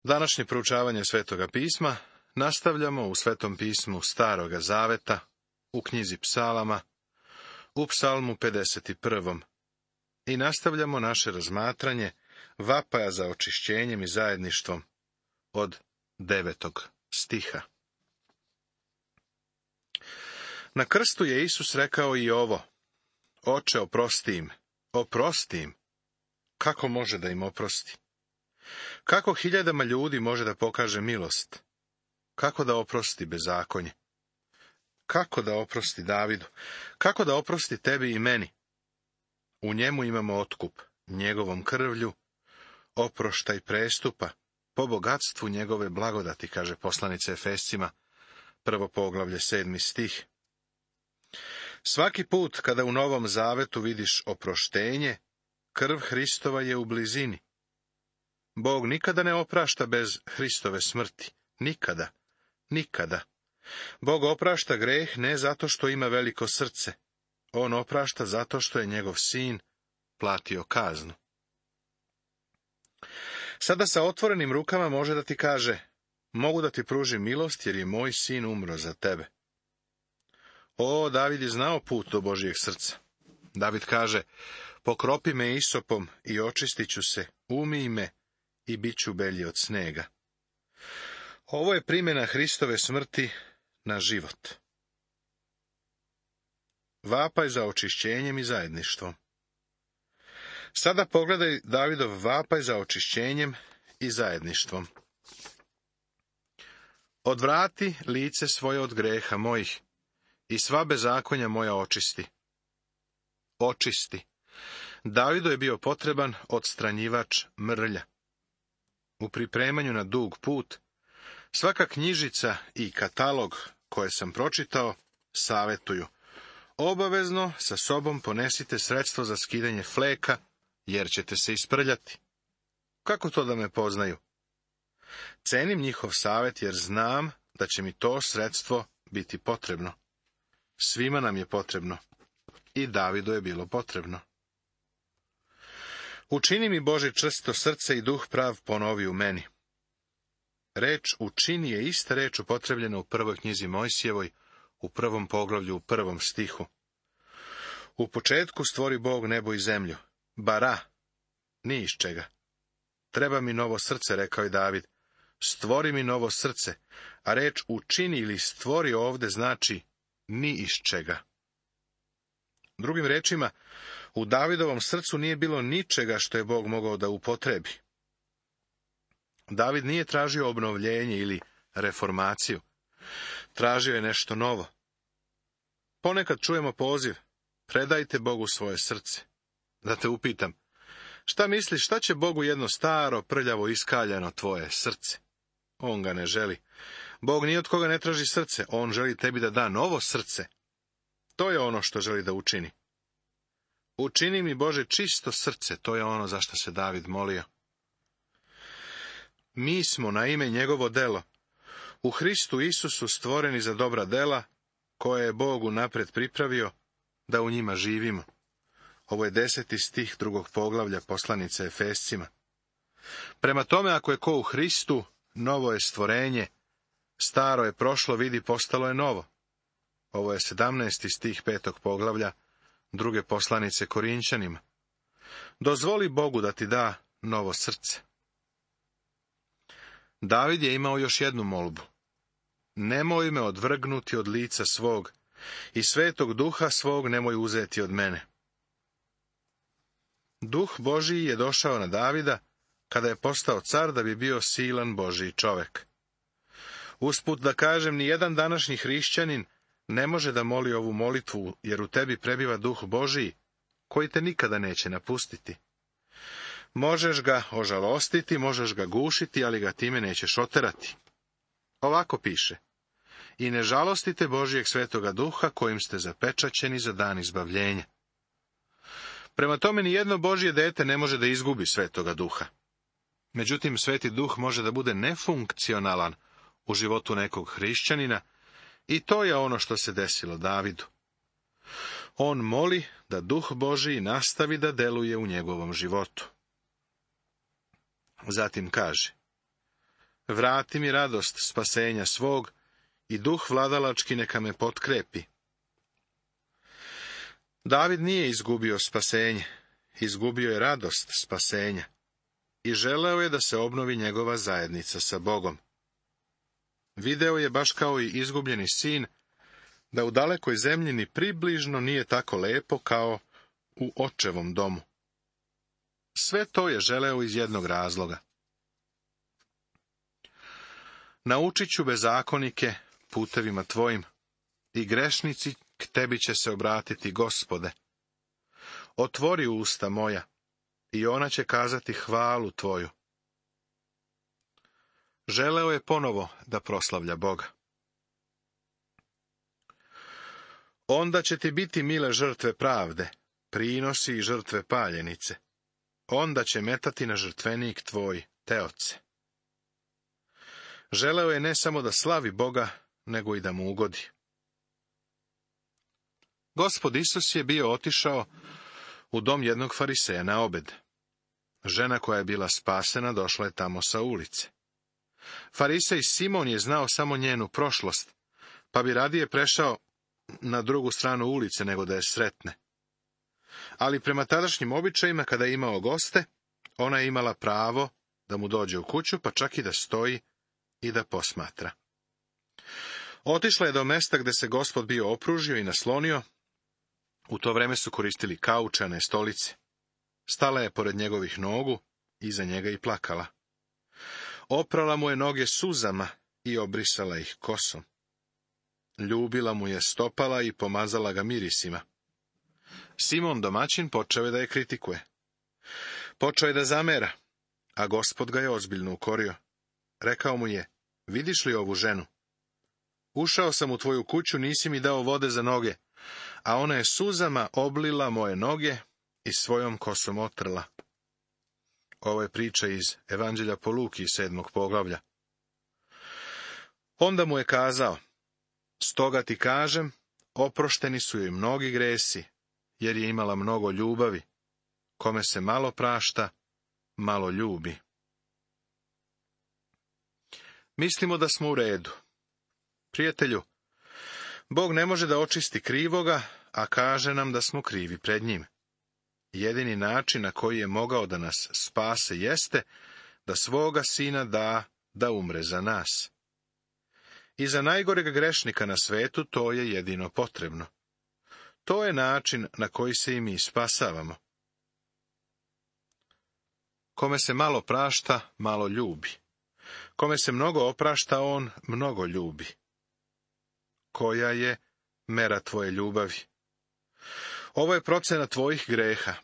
Današnje proučavanje Svetoga pisma nastavljamo u Svetom pismu Staroga zaveta, u knjizi Psalama, u Psalmu 51. I nastavljamo naše razmatranje vapaja za očišćenjem i zajedništvom od 9. stiha. Na krstu je Isus rekao i ovo: Oče, oprosti im, oprosti im. Kako može da im oprosti? Kako hiljadama ljudi može da pokaže milost? Kako da oprosti bezakonje? Kako da oprosti Davidu? Kako da oprosti tebi i meni? U njemu imamo otkup, njegovom krvlju, oproštaj prestupa, po bogatstvu njegove blagodati, kaže poslanica Efescima, 1. poglavlje, 7. stih. Svaki put kada u Novom Zavetu vidiš oproštenje, krv Hristova je u blizini. Bog nikada ne oprašta bez Hristove smrti. Nikada. Nikada. Bog oprašta greh ne zato što ima veliko srce. On oprašta zato što je njegov sin platio kaznu. Sada sa otvorenim rukama može da ti kaže: mogu da ti pružim milost jer je moj sin umro za tebe. O, David je znao put do Božijeg srca. David kaže: pokropi me isopom i očistit ću se, umij me i bit ću belji od snega. Ovo je primjena Hristove smrti na život. Vapaj za očišćenjem i zajedništvom. Sada pogledaj Davidov vapaj za očišćenjem i zajedništvom. Odvrati lice svoje od greha mojih i sva bezakonja moja očisti. Očisti. Davidu je bio potreban odstranjivač mrlja. U pripremanju na dug put, svaka knjižica i katalog koje sam pročitao savjetuju: obavezno sa sobom ponesite sredstvo za skidanje fleka, jer ćete se isprljati. Kako to da me poznaju? Cenim njihov savjet jer znam da će mi to sredstvo biti potrebno. Svima nam je potrebno. I Davidu je bilo potrebno. Učini mi, Bože, čvrsto srce i duh prav ponovi u meni. Reč učini je ista reč upotrebljena u prvoj knjizi Mojsijevoj, u 1. poglavlju, u 1. stihu. U početku stvori Bog nebo i zemlju. Bara, ni iz čega. Treba mi novo srce, rekao je David. Stvori mi novo srce, a reč učini ili stvori ovde znači ni iz čega. Drugim rečima, u Davidovom srcu nije bilo ničega što je Bog mogao da upotrebi. David nije tražio obnovljenje ili reformaciju. Tražio je nešto novo. Ponekad čujemo poziv: predajte Bogu svoje srce. Da te upitam, šta misliš, šta će Bogu jedno staro, prljavo, iskaljano tvoje srce? On ga ne želi. Bog ni od koga ne traži srce, on želi tebi da da novo srce. To je ono što želi da učini. Učini mi, Bože, čisto srce, to je ono za što se David molio. Mi smo na ime njegovo delo, u Hristu Isusu stvoreni za dobra dela, koje je Bog unapred pripravio da u njima živimo. Ovo je 10. stih 2. poglavlja poslanice Efescima. Prema tome, ako je ko u Hristu, novo je stvorenje, staro je prošlo, vidi, postalo je novo. Ovo je 17. stih 5. poglavlja 2. poslanice Korinćanima. Dozvoli Bogu da ti da novo srce. David je imao još jednu molbu. Nemoj me odvrgnuti od lica svog i svetog duha svog nemoj uzeti od mene. Duh Božiji je došao na Davida kada je postao car da bi bio silan Božiji čovek. Usput da kažem, ni jedan današnji hrišćanin ne može da moli ovu molitvu, jer u tebi prebiva Duh Božiji, koji te nikada neće napustiti. Možeš ga ožalostiti, možeš ga gušiti, ali ga time nećeš oterati. Ovako piše: i ne žalostite Božijeg svetoga duha, kojim ste zapečaćeni za dan izbavljenja. Prema tome, ni jedno Božje dete ne može da izgubi svetoga duha. Međutim, sveti duh može da bude nefunkcionalan u životu nekog hrišćanina, i to je ono što se desilo Davidu. On moli da Duh Božiji nastavi da deluje u njegovom životu. Zatim kaže: Vrati mi radost spasenja svog i duh vladalački neka me potkrepi. David nije izgubio spasenje, izgubio je radost spasenja i želeo je da se obnovi njegova zajednica sa Bogom. Video je, baš kao i izgubljeni sin, da u dalekoj zemlji ni približno nije tako lepo kao u očevom domu. Sve to je želeo iz jednog razloga. Naučit ću bezakonike putevima tvojim i grešnici k tebi će se obratiti, Gospode. Otvori usta moja i ona će kazati hvalu tvoju. Želeo je ponovo da proslavlja Boga. Onda će ti biti mile žrtve pravde, prinosi i žrtve paljenice. Onda će metati na žrtvenik tvoj teoce. Želeo je ne samo da slavi Boga, nego i da mu ugodi. Gospod Isus je bio otišao u dom jednog fariseja na obed. Žena koja je bila spasena došla je tamo sa ulice. Farisej Simon je znao samo njenu prošlost, pa bi radije prešao na drugu stranu ulice nego da je sretne. Ali prema tadašnjim običajima, kada je imao goste, ona je imala pravo da mu dođe u kuću, pa čak i da stoji i da posmatra. Otišla je do mesta gde se Gospod bio opružio i naslonio. U to vreme su koristili kaučane stolice. Stala je pored njegovih nogu, iza njega i plakala. Oprala mu je noge suzama i obrisala ih kosom. Ljubila mu je stopala i pomazala ga mirisima. Simon domaćin počeo je da je kritikuje. Počeo je da zamera, a Gospod ga je ozbiljno ukorio. Rekao mu je, vidiš li ovu ženu? Ušao sam u tvoju kuću, nisi mi dao vode za noge, a ona je suzama oblila moje noge i svojom kosom otrla. Ovo je priča iz Evanđelja po Luki 7. poglavlja. Onda mu je kazao, stoga ti kažem, oprošteni su joj mnogi gresi, jer je imala mnogo ljubavi. Kome se malo prašta, malo ljubi. Mislimo da smo u redu. Prijatelju, Bog ne može da očisti krivoga, a kaže nam da smo krivi pred njim. Jedini način na koji je mogao da nas spase jeste da svoga sina da umre za nas. I za najgoreg grešnika na svetu to je jedino potrebno. To je način na koji se i mi spasavamo. Kome se malo prašta, malo ljubi. Kome se mnogo oprašta, on mnogo ljubi. Koja je mera tvoje ljubavi? Ovo je procena tvojih greha.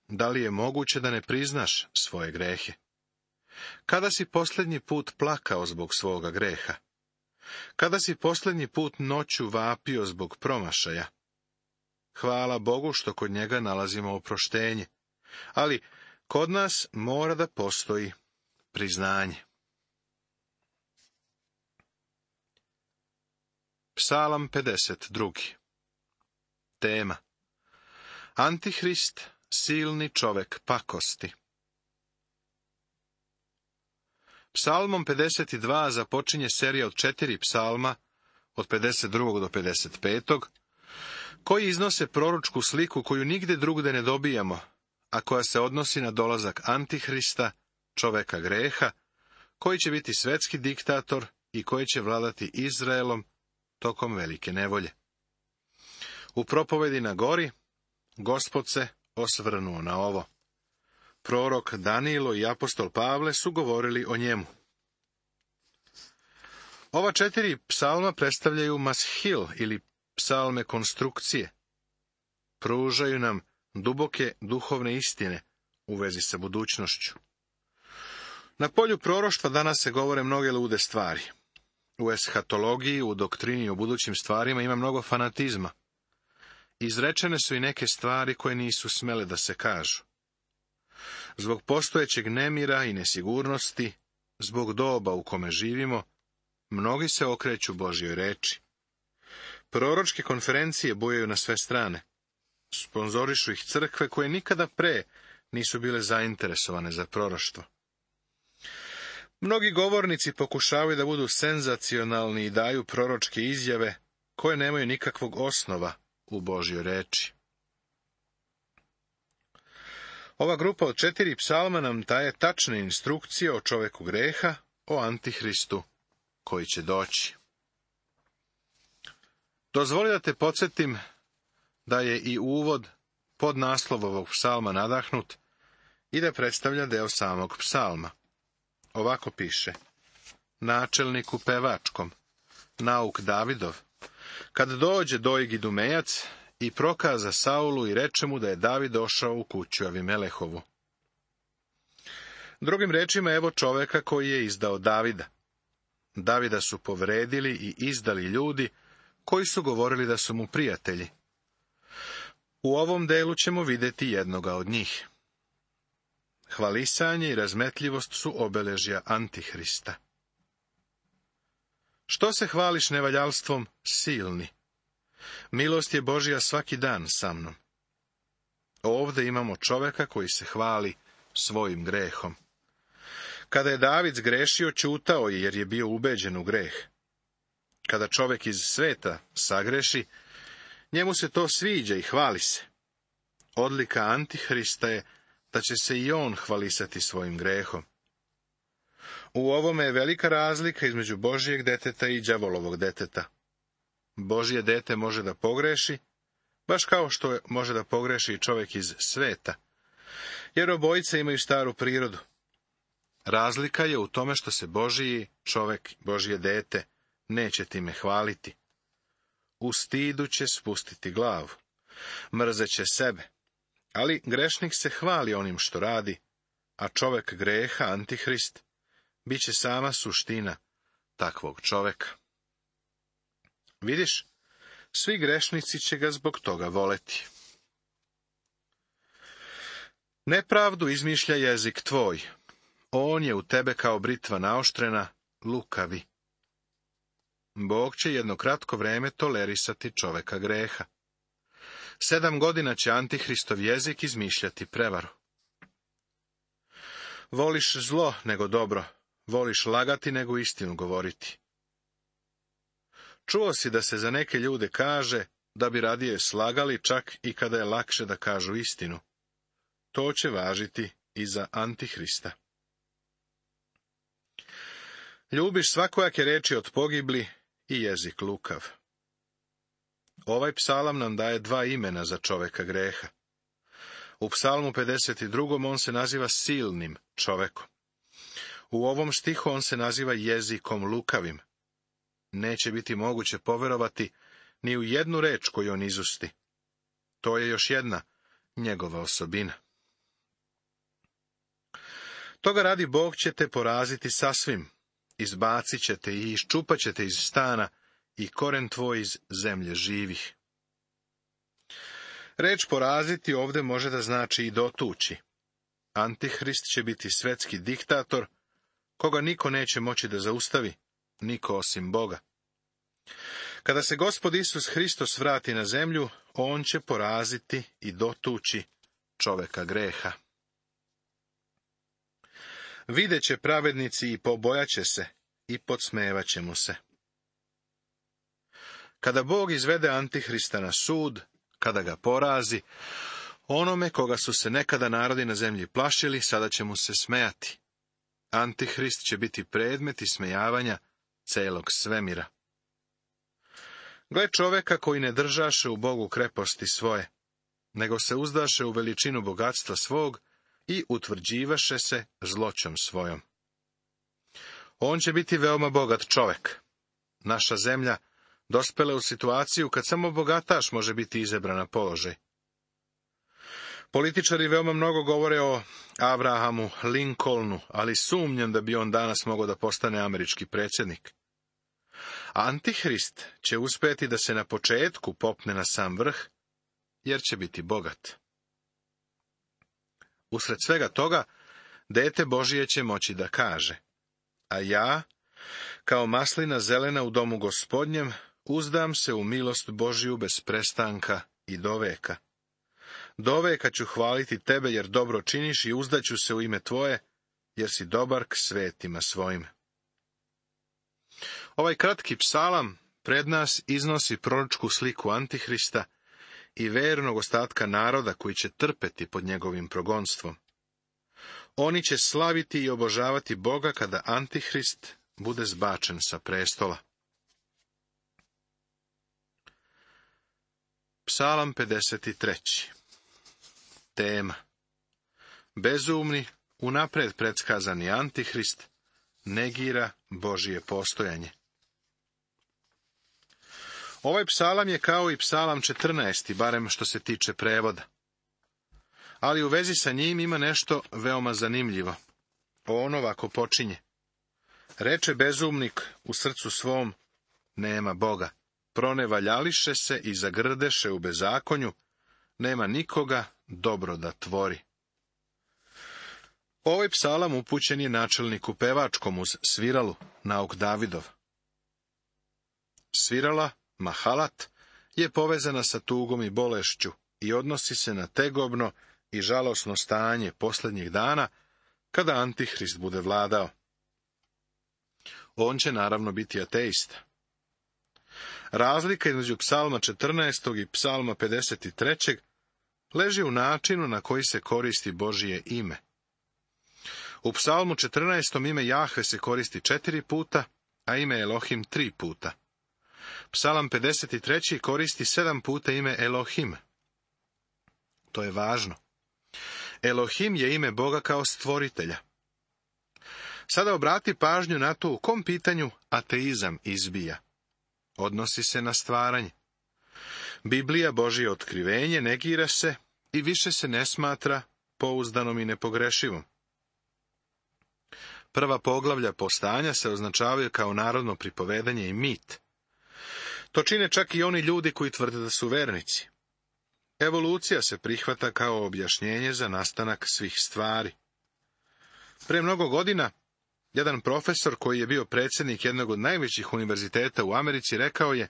Da li je moguće da ne priznaš svoje grehe? Kada si posljednji put plakao zbog svoga greha? Kada si posljednji put noću vapio zbog promašaja? Hvala Bogu što kod njega nalazimo oproštenje, ali kod nas mora da postoji priznanje. Psalam 52. Tema: Antihrist, silni čovek pakosti. Psalmom 52 započinje serija od 4 psalma, od 52. do 55. koji iznose proročku sliku koju nigde drugde ne dobijamo, a koja se odnosi na dolazak Antihrista, čoveka greha, koji će biti svetski diktator i koji će vladati Izraelom tokom velike nevolje. U propovedi na gori, Gospod se osvrnuo na ovo. Prorok Danilo i apostol Pavle su govorili o njemu. Ova 4 psalma predstavljaju mashil ili psalme konstrukcije. Pružaju nam duboke duhovne istine u vezi sa budućnošću. Na polju proroštva danas se govore mnoge lude stvari. U eshatologiji, u doktrini o budućim stvarima ima mnogo fanatizma. Izrečene su i neke stvari koje nisu smele da se kažu. Zbog postojećeg nemira i nesigurnosti, zbog doba u kome živimo, mnogi se okreću Božjoj reči. Proročke konferencije bujaju na sve strane. Sponzorišu ih crkve koje nikada pre nisu bile zainteresovane za proroštvo. Mnogi govornici pokušavaju da budu senzacionalni i daju proročke izjave koje nemaju nikakvog osnova u Božjoj reči. Ova grupa od 4 psalma nam daje tačne instrukcije o čoveku greha, o Antihristu koji će doći. Dozvoli da te podsjetim da je i uvod pod naslov ovog psalma nadahnut i da predstavlja deo samog psalma. Ovako piše: načelniku pevačkom, nauk Davidov, kad dođe Dojg Idumejac i prokaza Saulu i reče mu da je David došao u kuću Avimelehovu. Drugim rečima, evo čoveka koji je izdao Davida. Davida su povredili i izdali ljudi koji su govorili da su mu prijatelji. U ovom delu ćemo vidjeti jednoga od njih. Hvalisanje i razmetljivost su obeležja Antihrista. Što se hvališ nevaljalstvom, silni? Milost je Božja svaki dan sa mnom. Ovdje imamo čoveka koji se hvali svojim grehom. Kada je David zgrešio, ćutao je jer je bio ubeđen u greh. Kada čovjek iz sveta sagreši, njemu se to sviđa i hvali se. Odlika Antihrista je da će se i on hvalisati svojim grehom. U ovome je velika razlika između Božjeg deteta i đavolovog deteta. Božje dete može da pogreši, baš kao što može da pogreši i čovjek iz sveta, jer obojice imaju staru prirodu. Razlika je u tome što se Božji čovjek, Božje dete, neće time hvaliti. U stidu će spustiti glavu, mrzeće sebe, ali grešnik se hvali onim što radi, a čovjek greha, Antihrist, bit će sama suština takvog čovjeka. Vidiš, svi grešnici će ga zbog toga voleti. Nepravdu izmišlja jezik tvoj, on je u tebe kao britva naoštrena, lukavi. Bog će jedno kratko vreme tolerisati čoveka greha. 7 godina će Antihristov jezik izmišljati prevaru. Voliš zlo nego dobro, voliš lagati nego istinu govoriti. Čuo si da se za neke ljude kaže da bi radije slagali čak i kada je lakše da kažu istinu. To će važiti i za Antihrista. Ljubiš svakojake reči od pogibli i jezik lukav. Ovaj psalam nam daje 2 imena za čoveka greha. U psalmu 52. on se naziva silnim čovekom. U ovom stihu on se naziva jezikom lukavim. Neće biti moguće poverovati ni u jednu reč koju on izusti. To je još jedna njegova osobina. Toga radi Bog će te poraziti sasvim, izbacit ćete i iščupat ćete iz stana i koren tvoj iz zemlje živih. Reč poraziti ovdje može da znači i dotući. Antihrist će biti svetski diktator, koga niko neće moći da zaustavi, niko osim Boga. Kada se Gospod Isus Hristos vrati na zemlju, on će poraziti i dotući čoveka greha. Videće pravednici i pobojaće se i podsmevaće mu se. Kada Bog izvede Antihrista na sud, kada ga porazi, onome koga su se nekada narodi na zemlji plašili, sada će mu se smejati. Antihrist će biti predmet ismejavanja celog svemira. Gle čoveka koji ne držaše u Bogu kreposti svoje, nego se uzdaše u veličinu bogatstva svog i utvrđivaše se zloćom svojom. On će biti veoma bogat čovek. Naša zemlja dospela u situaciju kad samo bogataš može biti izabran na položaj. Političari veoma mnogo govore o Abrahamu Lincolnu, ali sumnjam da bi on danas mogao da postane američki predsjednik. Antihrist će uspjeti da se na početku popne na sam vrh, jer će biti bogat. Usred svega toga, dete Božije će moći da kaže: a ja, kao maslina zelena u domu Gospodnjem, uzdam se u milost Božiju bez prestanka i doveka. Doveka ću hvaliti tebe, jer dobro činiš, i uzdaću se u ime tvoje, jer si dobar k svetima svojim. Ovaj kratki psalam pred nas iznosi proročku sliku Antihrista i vernog ostatka naroda koji će trpeti pod njegovim progonstvom. Oni će slaviti i obožavati Boga kada Antihrist bude zbačen sa prestola. Psalam 53. Tema: bezumni, unapred predskazani Antihrist negira Božije postojanje. Ovaj psalam je kao i psalam 14, barem što se tiče prevoda. Ali u vezi sa njim ima nešto veoma zanimljivo. On ovako počinje: reče bezumnik u srcu svom, nema Boga. Pronevaljališe se i zagrdeše u bezakonju, nema nikoga dobro da tvori. Ovaj psalam upućen je načelniku pevačkom uz sviralu, nauk Davidov. Svirala, mahalat, je povezana sa tugom i bolešću i odnosi se na tegobno i žalosno stanje posljednjih dana, kada Antihrist bude vladao. On će naravno biti ateista. Razlika između psalma 14. i psalma 53. leži u načinu na koji se koristi Božije ime. U psalmu 14. ime Jahve se koristi 4 puta, a ime Elohim 3 puta. Psalam 53. koristi 7 puta ime Elohim. To je važno. Elohim je ime Boga kao stvoritelja. Sada obrati pažnju na to u kom pitanju ateizam izbija. Odnosi se na stvaranje. Biblija, Božje otkrivenje, negira se i više se ne smatra pouzdanom i nepogrešivom. Prva poglavlja postanja se označavaju kao narodno pripovedanje i mit. To čine čak i oni ljudi koji tvrde da su vernici. Evolucija se prihvata kao objašnjenje za nastanak svih stvari. Pre mnogo godina, jedan profesor koji je bio predsjednik jednog od najvećih univerziteta u Americi rekao je: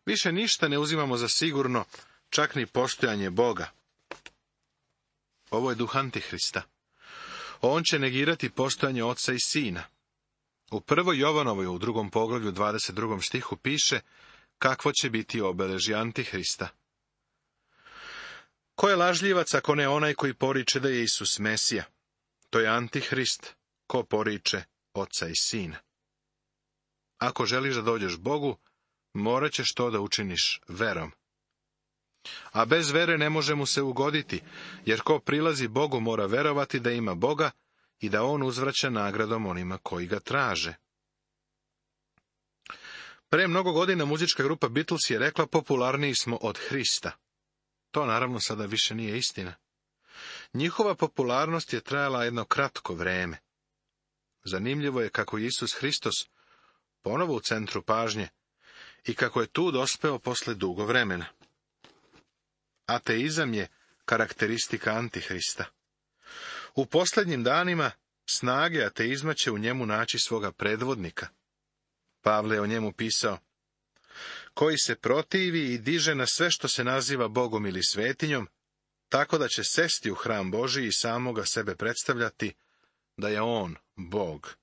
više ništa ne uzimamo za sigurno, čak ni postojanje Boga. Ovo je duh Antihrista. On će negirati postojanje Oca i Sina. U 1. Jovanovoj, u 2. poglavlju 22. stihu piše kakvo će biti obeležje Antihrista. Ko je lažljivac ako ne onaj koji poriče da je Isus Mesija? To je Antihrist, ko poriče Oca i Sina. Ako želiš da dođeš Bogu, morat ćeš to da učiniš verom. A bez vere ne može mu se ugoditi, jer ko prilazi Bogu mora verovati da ima Boga i da on uzvraća nagradom onima koji ga traže. Pre mnogo godina muzička grupa Beatles je rekla: popularniji smo od Hrista. To naravno sada više nije istina. Njihova popularnost je trajala jedno kratko vreme. Zanimljivo je kako je Isus Hristos ponovo u centru pažnje i kako je tu dospeo posle dugo vremena. Ateizam je karakteristika Antihrista. U posljednjim danima snage ateizma će u njemu naći svoga predvodnika. Pavle je o njemu pisao: koji se protivi i diže na sve što se naziva Bogom ili svetinjom, tako da će sesti u hram Božiji i samoga sebe predstavljati da je on Bog.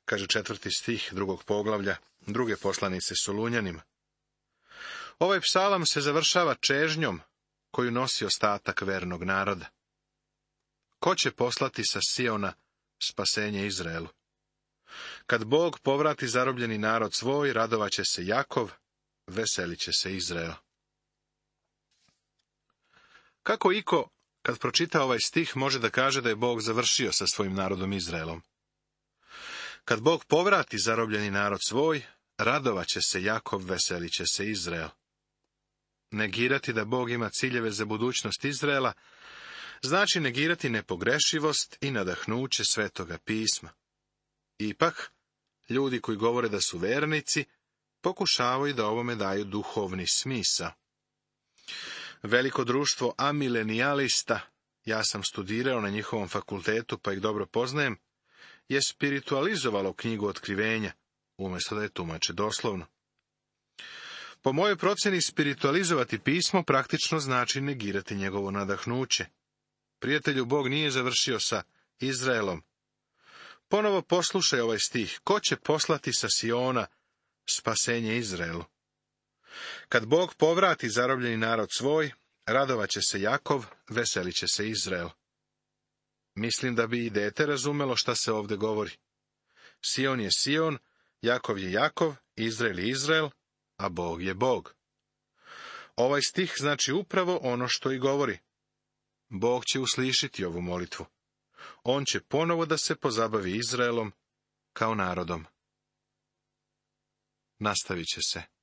Kaže 4. stih 2. poglavlja 2. poslanice Solunjanima. Ovaj psalam se završava čežnjom koju nosi ostatak vernog naroda. Ko će poslati sa Siona spasenje Izraelu? Kad Bog povrati zarobljeni narod svoj, radovaće se Jakov, veselit će se Izrael. Kako iko, kad pročita ovaj stih, može da kaže da je Bog završio sa svojim narodom Izraelom? Kad Bog povrati zarobljeni narod svoj, radovaće se Jakov, veselit će se Izrael. Negirati da Bog ima ciljeve za budućnost Izraela znači negirati nepogrešivost i nadahnuće Svetoga pisma. Ipak, ljudi koji govore da su vernici, pokušavaju da ovome daju duhovni smisao. Veliko društvo amilenijalista, ja sam studirao na njihovom fakultetu pa ih dobro poznajem, je spiritualizovalo knjigu Otkrivenja, umjesto da je tumače doslovno. Po mojoj procjeni, spiritualizovati pismo praktično znači negirati njegovo nadahnuće. Prijatelju, Bog nije završio sa Izraelom. Ponovo poslušaj ovaj stih. Ko će poslati sa Siona spasenje Izraelu? Kad Bog povrati zarobljeni narod svoj, radovaće se Jakov, veselit će se Izrael. Mislim da bi i dete razumelo šta se ovdje govori. Sion je Sion, Jakov je Jakov, Izrael je Izrael, a Bog je Bog. Ovaj stih znači upravo ono što i govori. Bog će uslišiti ovu molitvu. On će ponovo da se pozabavi Izraelom kao narodom. Nastavit će se.